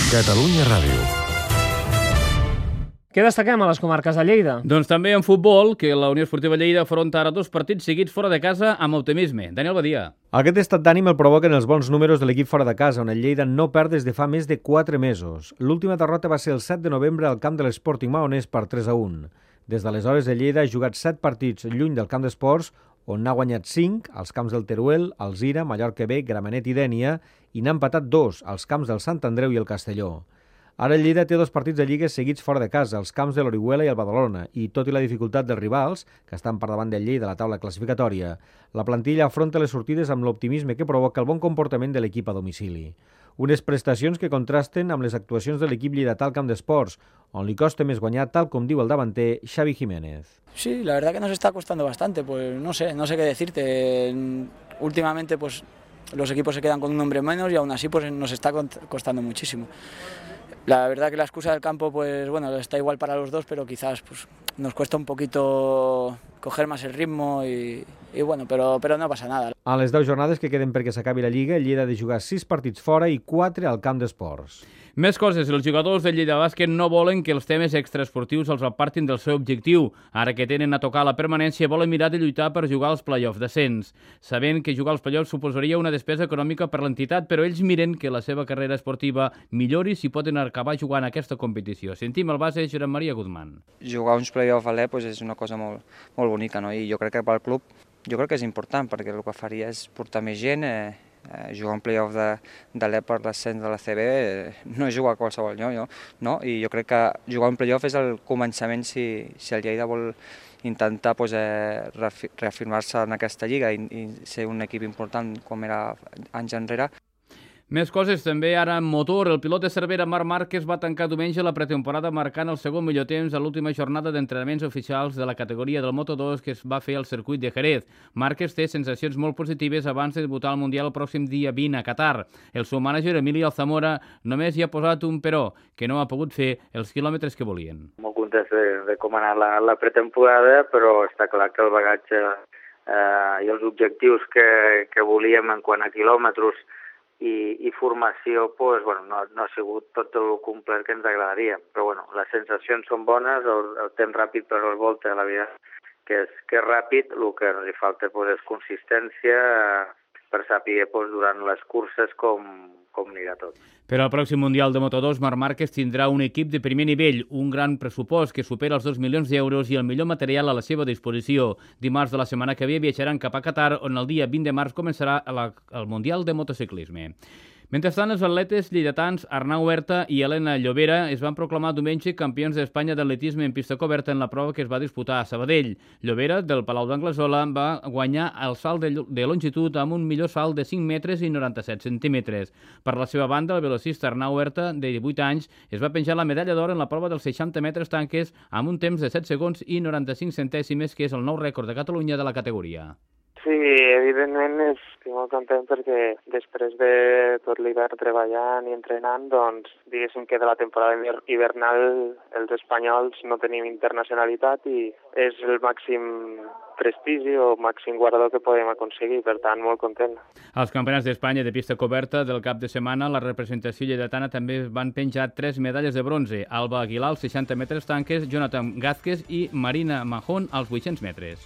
Catalunya Ràdio. Què destaquem a les comarques de Lleida? Doncs també en futbol, que la Unió Esportiva Lleida afronta ara 2 partits seguits fora de casa amb optimisme. Daniel Badia. Aquest estat d'ànim el provoquen els bons números de l'equip fora de casa, on el Lleida no perd des de fa més de 4 mesos. L'última derrota va ser el 7 de novembre al camp de l'Sporting Maonès per 3-1. Des d'aleshores, el Lleida ha jugat 7 partits lluny del camp d'esports, on n'ha guanyat 5 als camps del Teruel, Alzira, Mallorca B, Gramenet i Dénia, i n'ha empatat 2 als camps del Sant Andreu i el Castelló. Ara el Lleida té 2 partits de lliga seguits fora de casa, els camps de l'Orihuela i el Badalona, i tot i la dificultat dels rivals, que estan per davant del Lleida a la taula classificatòria, la plantilla afronta les sortides amb l'optimisme que provoca el bon comportament de l'equip a domicili. Unes prestacions que contrasten amb les actuacions de l'equip lleidatà al camp d'esports, on li costa més guanyar, tal com diu el davanter Xavi Jiménez. Sí, la verdad que nos está costando bastante, pues no sé qué decirte. Últimamente pues los equipos se quedan con un hombre menos y aún así pues nos está costando muchísimo. La verdad que la excusa del campo pues bueno, está igual para los dos, pero quizás pues nos cuesta un poquito coger más el ritmo y bueno, pero no pasa nada. A les 10 jornades que queden perquè s'acabi la Lliga, el Lleida ha de jugar 6 partits fora i 4 al camp d'esports. Més coses, els jugadors del Lleida Bàsquet no volen que els temes extraesportius els apartin del seu objectiu. Ara que tenen a tocar la permanència, volen mirar de lluitar per jugar als play-offs descens. Sabent que jugar als play-offs suposaria una despesa econòmica per l'entitat, però ells miren que la seva carrera esportiva millori si poden acabar jugant aquesta competició. Sentim el base Josep Maria Guzmán. Jugar uns play-offs a l'E és una cosa molt bonica, no? I jo crec que pel club és important, perquè el que faria és portar més gent, jugar un play-off de l'E per l'ascens de la CB no és jugar a qualsevol lloc, no? I jo crec que jugar un play-off és el començament si el Lleida vol intentar reafirmar-se en aquesta lliga i ser un equip important com era anys enrere. Més coses també ara en motor. El pilot de Cervera, Marc Márquez, va tancar diumenge la pretemporada marcant el segon millor temps a l'última jornada d'entrenaments oficials de la categoria del Moto2 que es va fer al circuit de Jerez. Márquez té sensacions molt positives abans de debutar al Mundial el pròxim dia 20 a Qatar. El seu mànager, Emili Alzamora, només hi ha posat un però, que no ha pogut fer els quilòmetres que volien. Molt contents de com ha anat la pretemporada, però està clar que el bagatge i els objectius que volíem en quant a quilòmetres i formació pues, bueno, no ha sigut tot el complet que ens agradaria, però bueno, les sensacions són bones, el temps ràpid per la volta, la veritat que és ràpid, el que ens falta pues, és consistència per saber pues, durant les curses com anirà tot. Per al pròxim Mundial de Moto2, Marc Márquez tindrà un equip de primer nivell, un gran pressupost que supera els 2 milions d'euros i el millor material a la seva disposició. Dimarts de la setmana que ve viatjaran cap a Qatar, on el dia 20 de març començarà el Mundial de Motociclisme. Mentrestant, els atletes lleidatans Arnau Huerta i Elena Llobera es van proclamar diumenge campions d'Espanya d'atletisme en pista coberta en la prova que es va disputar a Sabadell. Llobera, del Palau d'Anglesola, va guanyar el salt de longitud amb un millor salt de 5 metres i 97 centímetres. Per la seva banda, el velocista Arnau Huerta, de 18 anys, es va penjar la medalla d'or en la prova dels 60 metres tanques amb un temps de 7 segons i 95 centèsimes, que és el nou rècord de Catalunya de la categoria. Sí, evidentment estic molt content perquè després de tot l'hivern treballant i entrenant, doncs diguéssim que de la temporada hivernal els espanyols no tenim internacionalitat i és el màxim prestigi o màxim guardó que podem aconseguir, per tant, molt content. Als Campionats d'Espanya de pista coberta del cap de setmana, la representació lleidatana també van penjar 3 medalles de bronze: Alba Aguilar als 60 metres tanques, Jonathan Gázquez i Marina Mahón als 800 metres.